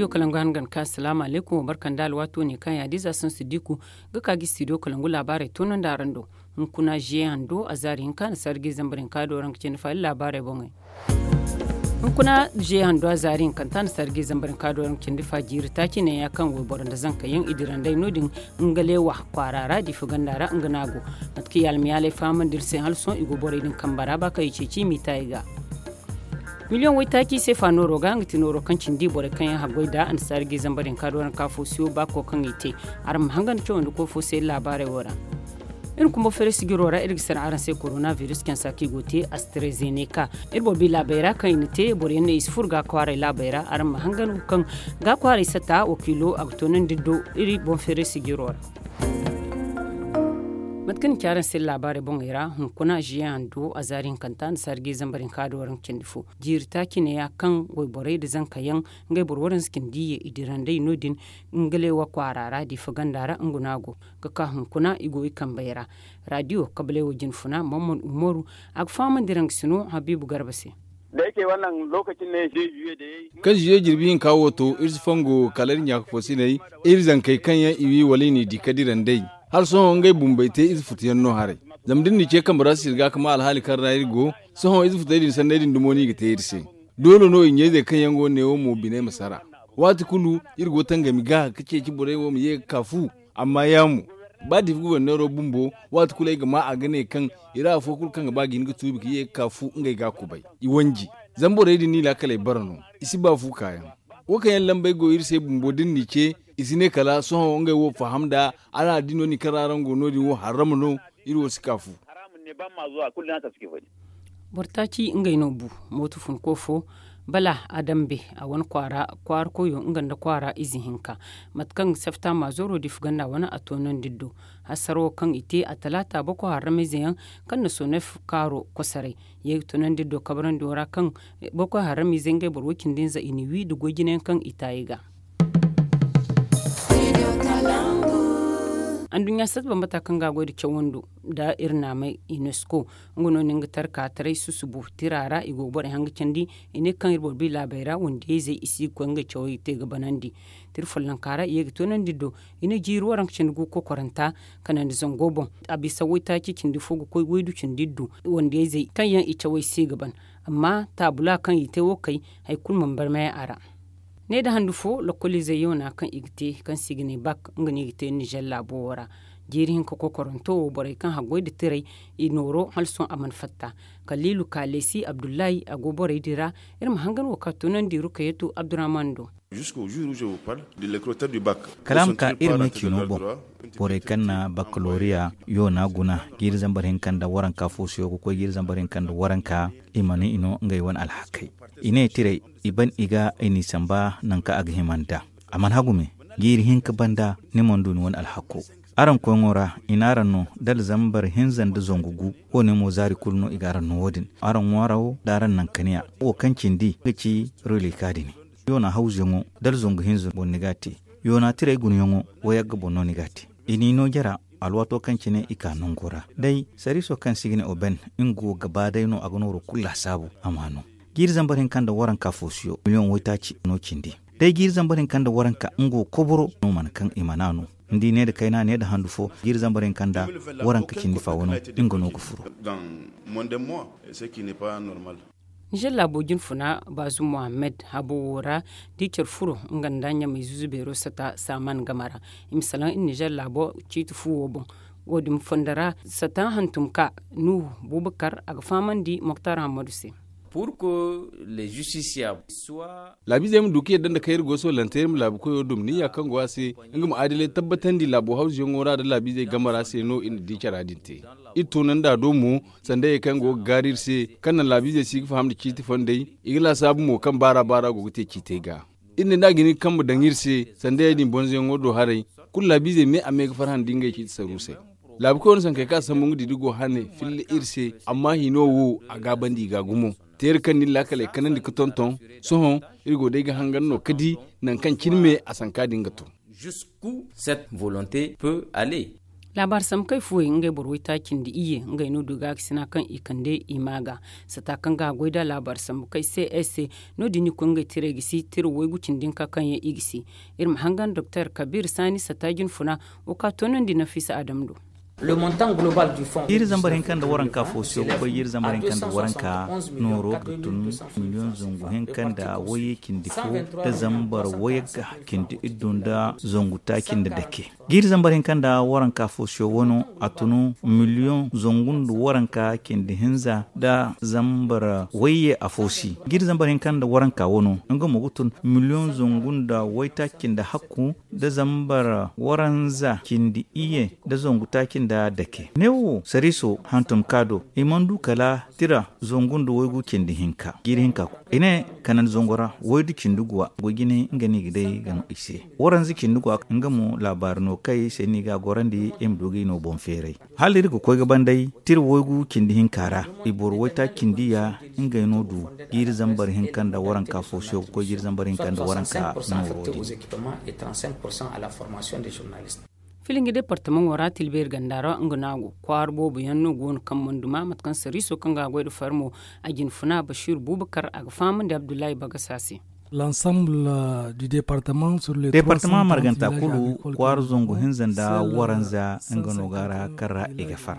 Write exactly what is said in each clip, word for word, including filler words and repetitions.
Kalangu hangan ka asalaamu alaykum, barka nda alwaato ne kaŋ yaadiza sansu diku ga ka ga studio kalangu laabaarey toonandi araŋ do. Hunkuna ziye hando a zaari hinka na sarji zambar hinka do ranka cindi fa iri laabaarey boŋey. Hunkuna ziye hando a zaari hinkanta na sarji zambar hinka do ranka cindi fa jiiri taaci ne ya kaŋ wayboro nda zanka yaŋ i dira nd'ey no- din, ngalewa kwaara ra diifa ganda ra nga no a go. Mate kaŋ i almayaaley fahamandi iri se hala sohõ i go borey din kamba ra ba kaŋ i ceeci i m'i ta i ga. Miliyoŋ waytaaci seefa nooro ga nga ti nooro kaŋ cindi borey kaŋ yaŋ haggoy nd'a annasaari ga i zambar hinka do ranka fo siyo baako kaŋ i te. Araŋ ma hangan cawandi koy fo se iri laabaarey wo ra. Iri kumbo feere sijiro ra iri ga sara araŋ se korona biris cansa kaŋ i go ga te astrazeneka. Iri boro bi laabey ra kaŋ i na te boro yaŋ no i si furo ga kwaaray laabey ra araŋ ma hangan wo kaŋ ga kwaaray sata wakiilo a ga toonandi do iri boŋ feere sijiro ra. Mate kaŋ ni ci araŋ se laabaarey boŋey ra hunkuna ziye hando a zaari hinkanta annasaari ga i zambar hinka do waranka cindi fo. Jiiri taaci ne ya kaŋ wayborey nda zanka yaŋ ngey boro waranza cindi ye i dira nd'ey no- din. Ngalewa kwaara ra diifa ganda ra nga no a go ga ka hunkuna i go i kambey ra. Raadiyo kabalewa jinfuna mammad umaru a ga fahamandi raŋ ga sino habiibu garba se. Kaŋ ziye jirbi hinka wo to iri si fongo kala iri ɲaaka fo sinay iri zankey kaŋ yaŋ i wi wala i n'i di ka dira nd'ey. Hala sohõ ngey bumbey te ize futu yaŋ no haray. Zama da iri n'i ce kambe ra sirga ka ma alhaali kaŋ ra iri go. Sohõ ize futey din sanney din dumo no i ga te iri se. Doole no i ɲa-izey kaŋ yaŋ go neewo mo biney ma sara. Waati kulu iri go tangami ga ka ceeci borey wo ma ye ga ka fu. Amma ya mo ba diifa guberneero bumbo waati kulu ay ga ma a ga ne kaŋ i ra afo kulu kaŋ ga ba ga hin ga tuubi ka ye ga ka fu ngey ga kubay. I wanji zama borey din no i laakaley bara no. I si ba fu kaayaŋ. Wo kaŋ yaŋ lambey go iri se bumbo da iri n'i ce i si ne kala sohõ ngey wo faham nd'a. Araŋ a di no- din kaŋ ra araŋ go no- din wo harrama no. Iri wo si ka fu. Boro taaci ngey no bu mooto funko fo bala a dambe a wane kwaara kwaara koyo nga nda kwaara ize hinka. Mate kaŋ sefta maazooro diifa ganda wane a toonandi iri do. Hasaro kaŋ i te a talaata boko harramize yaŋ kaŋ na sonef kaaro kosoray ye ga toonandi iri do kabarandi wo ra kaŋ boko harramize ngey boro wo- cindi nza i na wi nda goy jine yaŋ kaŋ i taayi ga. Anduɲɲa sata bambata kaŋ ga a goy nda cawando nda iri naamay unesco nga no na nga tarka taray susubu tira ra i go ga borey haŋ ga candi. I ne kaŋ iri boro bi laabey ra wandiyayzey i si ga koy ngey cawey te ga banandi. Tira follonka ra i ye ga toonandi iri do. I ne jiiri waranka cindi gu kokoranta kanandi zango boŋ. A bisa waytaaci cindi fo ga koy waydu cindi iri do wandiyayzey kaŋ yaŋ i cawey se ga ban. Amma taabula kaŋ i te wo kay hari kulu mana barmay a ra. Ne nda handu fo lokoliizey yoona kaŋ i ga te kaŋ se i ga ne bak nga no i ga te nizer laabo wo ra. Jiiri hinka kokoranto wo borey kaŋ haggoy nda tirey i nooro hala sohõ a mana fatta. Kaliilu kaalesi abdullahi a go borey din ra. Iri ma hangan wo kaŋ a toonandi rukayatu abdurahman do. Kala a ma ka iri me ciino boŋ borey kaŋ na bakalooriya yoona guna jiiri zambar hinka nda waranka fo siyo ga koy jiiri zambar hinka nda waranka i mana i no ngey wane alhakey. I ne tirey i ban i ga i n'i samba nangu kaŋ a ga hima nd'a. A mana hagu me jiiri hinka banda ni mana du ni wane alhakko. Araŋ koyŋo ra i n'araŋ no dala zambar hinza nda zangu gu. Wo- ne mo zaari kulu no i ga araŋ no wo- din araŋ ŋwaara wo nda araŋ nankaniya wo kaŋ cindi ga ci rulika din. Yoona hawzuyaŋo dala zangu hinza boŋ ni ga a te. Yoona tirey gunayaŋo wayagga boŋ no ni ga a te. I n'i no jara alwaato kaŋ cine i ka nango ra day sariiso kaŋ se i ga ne oben. Nga wo gaba day no a ga nooro kulu laasaabu a m'a no. Jiiri zambar hinka nda waranka fo siyo miliyoŋ waytaaci no cindi. Day jiiri zambar hinka nda waranka nga wo koboro no mana kaŋ i mana no. Ni di ne nda kayna ne nda handu fo jiiri zambar hinka nda waranka cindi fa wano nga no ga furo. Nizer laabo jinfuna baazum mohammed habo wo ra da i care furo nga nda ɲamay zuzu beero sata saaman game ra. I ma salaŋ iri nizer laabo ciiti fu wo boŋ. Wo- din fondo ra sata hantum ka nuhu bubakar a ga fahamandi moktar hammadu se. Laabiizey ma du ka yadda nda kaŋ iri go soolante iri ma laabu koyo dum niyya kaŋ go a se nga ma adilay tabbatandi laabo hawzuyaŋo ra nda laabiizey game ra se no iri na di cara din te. Iri toonandi a do mo sanda ye kaŋ go ga gaari iri se kaŋ naŋ laabiizey si ga faham nda ciiti fondey. I ga laasaabu mo kaŋ baara baara go ga te ciitey ga. Iri ne da a ga hin ga kambe daŋ iri se sanda ya- din bonzoyaŋo do haray. Kulu laabiizey me a me ga farhã nda ngey ciiti saruusey. Laabukoy wane sankey kaŋ a sambu nga didi go hane filla iri se. Amma hino wo a gaabandi i ga gumo. Teera kaŋ na iri laakaley kanandi ga tonton. Sohõ iri go day ga hangan no ga di nangu kaŋ cine me a sanka din ga to. Cette volonté peut aller. Laabaari sambu kay fuwey ngey boro waytaaci nda iyye ngey no du gaakasina kaŋ i kande i ma ga sata kaŋ ga a goy da laabaari sambu kay se ay se. No- din i koy ngey tirey ga si tira waygu cindi hinka kaŋ yaŋ i ga si. Iri ma hangan doktor kabiir saani sata jinfuna wo ka toonandi nafiisa adam do. Jiiri zambar hinka nda waranka fo se wo koy jiiri zambar hinka nda waranka nooro ga tun miliyoŋ zangu hinka nda wayye cindi fo nda zambar wayye ga cindi iddu nda zangu taaci nda dake. Jiiri zambar hinka nda waranka fo se wo no a tun miliyoŋ zangu nda waranka cindi hinza nda zambar wayye afo si. Jiiri zambar hinka nda waranka wo no nga mo ga tun miliyoŋ zangu nda waytaaci nda hakku nda zambar waranza cindi iyye nda zangu taaci nda dake. Neewo sariiso hantum ka do i mana du kala tira zangu nda waygu cindi hinka jiiri hinka ku i ne kanandi zango ra waydu cindi guwa goy jinay nga no i ga day ga no i se. Waranza cindi guwa nga mo laabaari no kay se no i ga a gorandi i ma du ga i no boŋ feeray. Hala iri ga koy ga banday tira waygu cindi hinka ra i boro waytaaci cindi ya ngey no du jiiri zambar hinka nda waranka fo se ga koy jiiri zambar hinka nda waranka nooro din. Filingi departamaŋo ra tilbeeri ganda ra nga no a go kwaara boobo yaŋ no go no kaŋ mana duma mate kaŋ sariiso kaŋ ga a goy nda farmo a jinfuna basiiru buubakar a ga fahamandi abdullahi bagasa se. Departama marganta kulu kwaara zangu hinza nda waranza nga no ga ra kaŋ ra i ga far.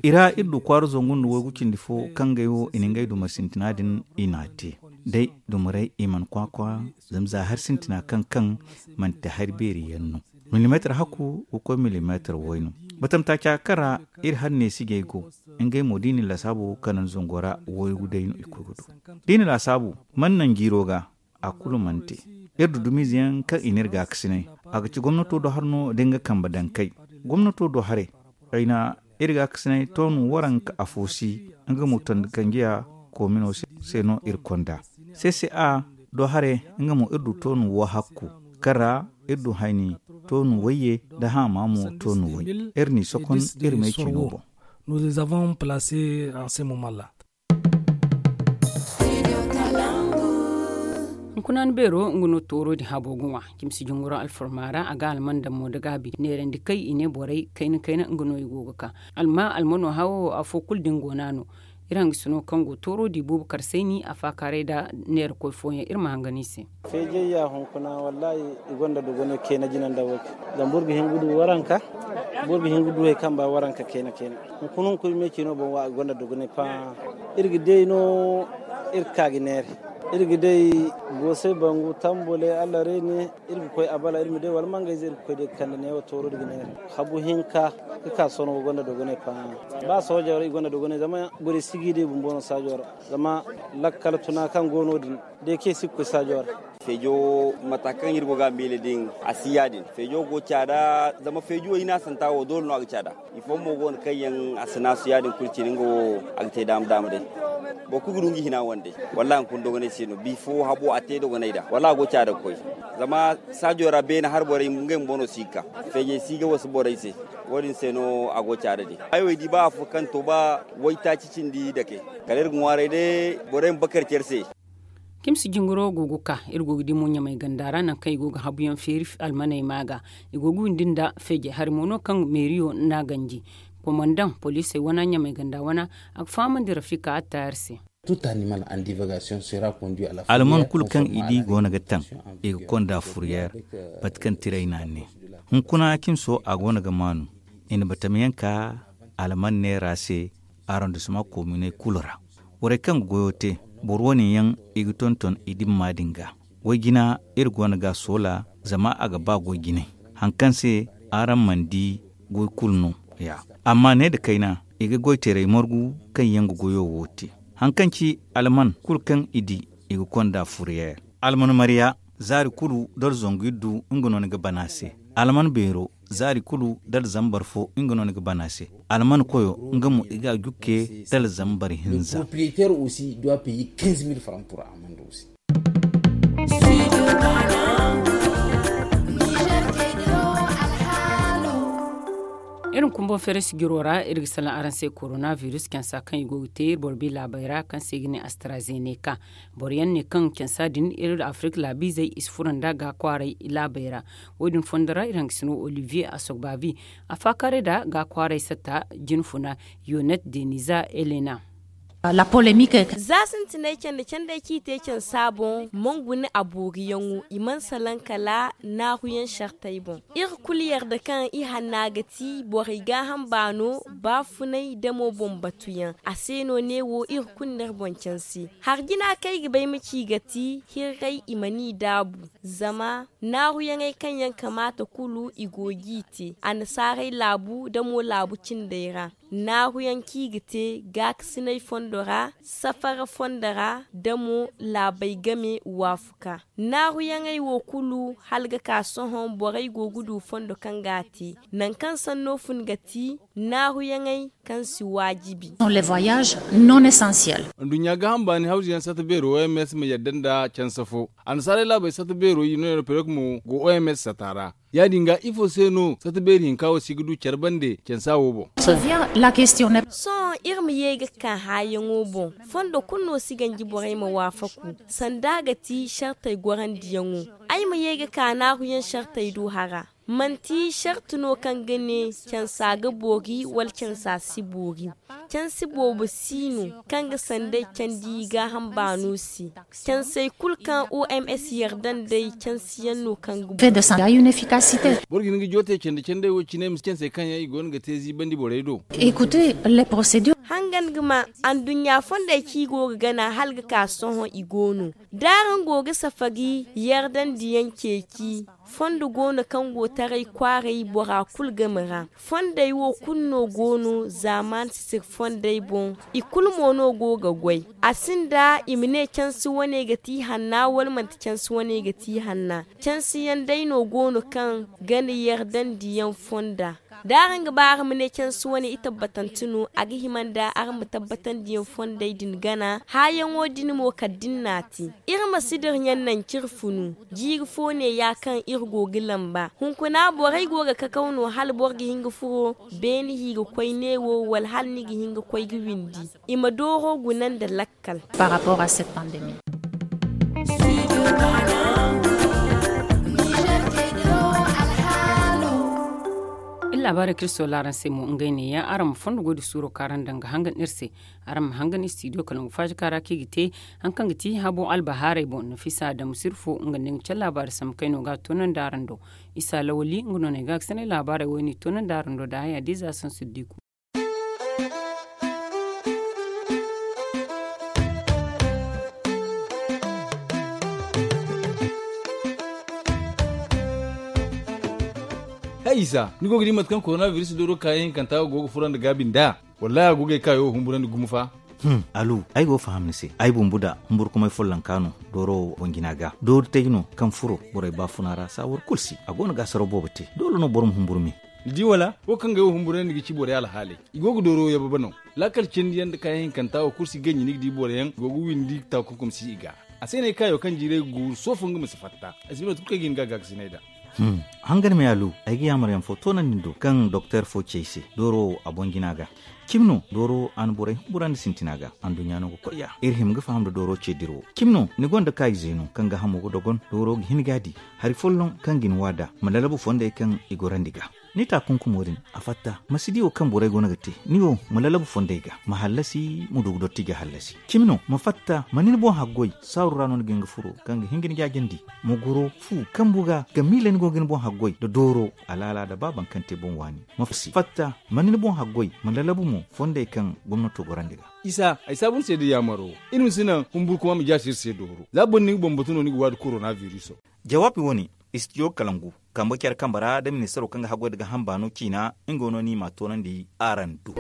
I ra iri du kwaara zangu nda waygu cindi fo kaŋ gay wo i na ngey dumey sintina din i n'a te day dumey i mana kwaakwa. Zama za hari sintina kaŋ kaŋ manti hari beeri yaŋ no. Milimeetar hakku ga koy milimeetar way no. Batamtaaca kaŋ ra iri hari neesijey go ngey mo da i na lasaabo kanandi zango ra waygu day no i koy ga du da i na lasaabo mana naŋ jiiro ga. A kulu mana te iri du dumiize yaŋ kaŋ i n'iri gaakasinay a ga ci gomnato do hari no da nga kambe daŋ kay. Gomnato do haray kayna iri gaakasinay toonu waranka afo si nga mo tondi kanjiya koomino se no iri konda. Sese a do haray nga mo iri du toonu wo hakku kaŋ ra iri du hayni toonu wayye nda haama mo toonu way. Iri n'i sokon iri meecino boŋ. Hunkuna ni beero nga no tooro din habo ga ŋwa. Cimsi junguro alfarma ra a ga alman daŋ mo da gaabi neerandi kay i ne borey kayna kayna nga no i go ga ka. Alma almano hawo afo kulu din go no a no. Iri hangasino kaŋ go tooro di buubu karsayni a faakaaray nda neerakoy fooyaŋ iri ma hangan i se. Feejayya hunkuna wallaahi i gonda dogonay kayna jina nda wo. Zama boro ga hin ga du waranka boro ga hin ga du hari kaŋ ba waranka kayna kayna. Hunkuna hunkuna me cino boŋ wo a gonda dogonay paa. Iri ga day no iri ga ka ga neera. Iri ga day goosay bangu tambole allah reene. Iri ga koy abala iri ma day wala mangayze iri ga koy day ga kande neewo tooro da ga neera. Habu hinka ga ka sohõ ga gonda dogonay paa. Ba sooja ra i gonda dogonay zama borey si ga i day bumbo no saajo ra. Zama lakkal tuna kaŋ go no- din day kaŋ i si ga koy saajo ra. Feejo mata kaŋ iri go ga a miila din a si ya- din. Feejo go caada zama feejo wo i ne a santa wo doole no a ga caada. I fooyaŋ mo go no kaŋ yaŋ a si naasu ya- din kulu cine nga wo a ga te daama daama day. Boro kulu ga du nga hina wande wallaahi hunkuna dogonay se no bifo habo a te dogonay da wallaahi a go caada ga koy. Zama saajo ra beene hari borey ngey bumbo no si ga ka feejey si ga wasu borey se. Wo- din se no a go caada din. Ay wo ay di ba afo kaŋ to ba waytaaci cindi dake kala iri ga ŋwaaray day borey ma bakar care se. Cimsi jingaro go ga ka iri go ga di mo ɲamay ganda ra nangu kaŋ i go ga habuyaŋ feeri almaney ma ga. I go ga windi nda feejey hari mo no kaŋ meeriyo n'a ganji. Komandaŋ poliisey wana ɲamay ganda wana a ga fahamandi rafika attaayar se. Alman kulu kaŋ i di go no ga taŋ i ga konda furyeer. Mate kaŋ tiray n'a ne hunkuna cimso a go no ga maanu. I na batamayaŋ ka alman neera se arondisma kominey kulu ra. Borey kaŋ ga goyo te boro wane yaŋ i ga tonton i dimma din ga. Way jina iri go no ga a soola zama a ga ba goy jinay. Hari kaŋ se araŋ mana di goy kulu no ya. Amma ne nda kayna i ga goy teeray margu kaŋ yaŋ ga goyo wo te. Hari kaŋ ci alman kulu kaŋ i di i ga konda furyeer. Alman marya zaari kulu dala zangu iddu nga no ni ga bana se. Alman beero zaari kulu dala zambar fo nga no ni ga bana se. Alman koyo nga mo i ga a jukke dala zambar hinza. Iri ma kumbo feere sijiro ra, iri ga salaŋ araŋ se koronavirus cansa kaŋ i go ga te iri boro bi laabey ra, kaŋ se i ga ne astrazeneca. Boro yaŋ ne kaŋ cansa din iri afirik laabiizey i si furo nda gaakwaaray laabey ra. Wo- din fondo ra iri hangasino olivier asogbavi, a faakaaray nda gaakwaaray satta jinfuna, yonet deniza elena. Za sintinay candi candey kaŋ i te cansa boŋ mana guna a booriyaŋo, i mana salaŋ kala naahuyaŋ sartey boŋ. Iri kulu yarda kaŋ i hanna ga ti borey gaaham baano, baafunay damo boŋ batuyaŋ. A se no neewo iri kulu n'iri boŋ canse. Hari jina kaŋ ay ga bay ma ci ga ti hirray i mana i daabu. Zama naahuyaŋey kaŋ yaŋ kamaata kulu i go g'i te annasaarey laabu damo laabu cindey ra. Naahuyaŋ kaŋ i ga te gaakasinay fondo ra, safara fondo ra, damo laabey game waafuka. Naahuyaŋey wo kulu hala ga ka sohõ borey go ga du fondo kaŋ ga a te. Nangu kaŋ sanno fun ga ti naahuyaŋey kaŋ si waajibi. Anduɲɲa gaaham baani hawzuyaŋ sata beero oms ma yadda nda canse fo. Annasaarey laabey sata beero i no europerik mo go oms sata ra. Ya- din ga ifo se no sata beeri hinka wo si ga du care bande cansa wo boŋ? Sohõ iri ma ye ga ka haayaŋo boŋ. Fondo kulu no si ganji borey ma waafaku sanda a ga ti sartey gorandiyaŋo. Ay ma ye ga ka naahuyaŋ sartey do hara. Manti sarti no kaŋ ga ne cansa ga boori wala cansa si boori. Cansi boobo si no kaŋ ga sanday candi gaaham baano se. Cansey kulu kaŋ oms yarda nd'ey cansiyaŋ no kaŋ ga boori. Boro ga hin ga joote candi candey wo cine ma si cansey kaŋ yaŋ i go no ga te ziibandi borey do. Hangan ga ma anduɲɲa fondey kaŋ i go ga gana hala ga ka sohõ i go no. Da araŋ go ga safari yardandiyaŋ ceeci. Fondo go no kaŋ go taray kwaaray bora kulu game ra. Fondey wo kulu no go no zaamaani sisir fondey boŋ. I kulu mo no go ga goy. A sinda i ma ne cansi wane ga ti hanna wala manti cansi wane ga ti hanna. Cansiyaŋ day no go no kaŋ gana yardandiyaŋ fonda. Da araŋ ga ba araŋ ma ne cansi wane i tabbatante no a ga hima nda araŋ ma tabbatandiyaŋ fondey din gana haayaŋo din mo kala da ni n'a te. Iri ma si dira ɲaŋ naŋ kaŋ iri funu. Jiiri fo neeya kaŋ iri go ga lamba hunkuna borey go ga kakaw no hala boro ga hin ga furo beene hi ga koy neewo wala hala ni ga hin ga koy ga windi. I ma dooro guna nda lakkal. Iri laabaarey kaŋ iri soola araŋ se mo ngey neeya araŋ ma fondo goy nda suuro kaŋ araŋ daŋ ga hangan iri se. Araŋ ma hangan istidiyo kala nga faaji kaŋ ra kaŋ i ga te. Hari kaŋ ga ti habo albahaarey boŋ nafisa adamu sirfo nga nda ni ga care laabaari sambu kaŋ ay no ga a toonandi araŋ do. Isa lawali nga no no ay ga a ga sanay laabaarey wo ay n'i toonandi araŋ do nda haya diiza sansu diiku. Hay isa ni go ga di mate kaŋ koronabiris dooro kaayaŋ hinkanta wo go ga furo nda gaabi nd'a? Wallaahi a go ga ay kaayo wo humburandi gumo fa. Alu ay go ga faham ni se ay bumbu da humburkumay follonka no. Dooro wo boŋ jina ga doori tay no kaŋ furo borey baafuna ra saawar kulu se a go no ga asaraw boobo te doole no boro ma humburu me. Ni di wala wo kaŋ ga ay wo humburandi ga ci borey alhaaley i go ga dooro wo yababa no. Laakal cindi yaŋ nda kaayaŋ hinkanta wo kulu si ganji ni ga di boro yaŋ i go ga windi taakunkum si i ga. A se no ay kaayo kaŋ jiiray ga guuru soofo nga ma si fatta. Ay si ba no tun kaŋ ay ga hin ga a gaakasinay nd'a. Hangan me alu ay ga yaamar yaŋ fo toonandi ni do kaŋ doktor fo ci ay se dooro wo a boŋ jina ga. Cimi no dooro wo a na borey humburandi sintina ga anduɲɲa no ga koy ya iri hima ga faham nda dooro ce dira wo. Cimi no ni gonda kaayize no kaŋ ga hamo ga dogon dooro ga hin ga a di. Hari folloŋ kaŋ ga ni waada ma lalabu fondey kaŋ i gorandi ga. Ni taakunkumo din a fatta ma si di wo kaŋ borey go no ga te ni wo ma lalabu fondey ga ma hallasi ma du ga dotti ga hallasi. Cimi no ma fatta ma ni ni boŋ haggoy saaru ra no ni ga hin ga furo kaŋ ga hin ga ni jaajandi. Ma goro fu kambu ga ga miila ni go ga ni boŋ haggoy nda dooro alaala nda ba baŋ kaŋ te boŋ waani. Ma fatta ma ni ni boŋ haggoy ma lalabu mo fondey kaŋ gomnato gorandi ga. Isa ay saabu ni se da yaamaro iri ma si naŋ humburkuma ma jaasi iri se dooro za boro ni ga bambatu no ni ga waadi korona biriso. Jawaabi wo-ne istidiyo kalangu kambe care kambe ra nda ministaro kaŋ ga haggoy nda gaaham baano ciina. Nga no no i m'a toonandi araŋ do.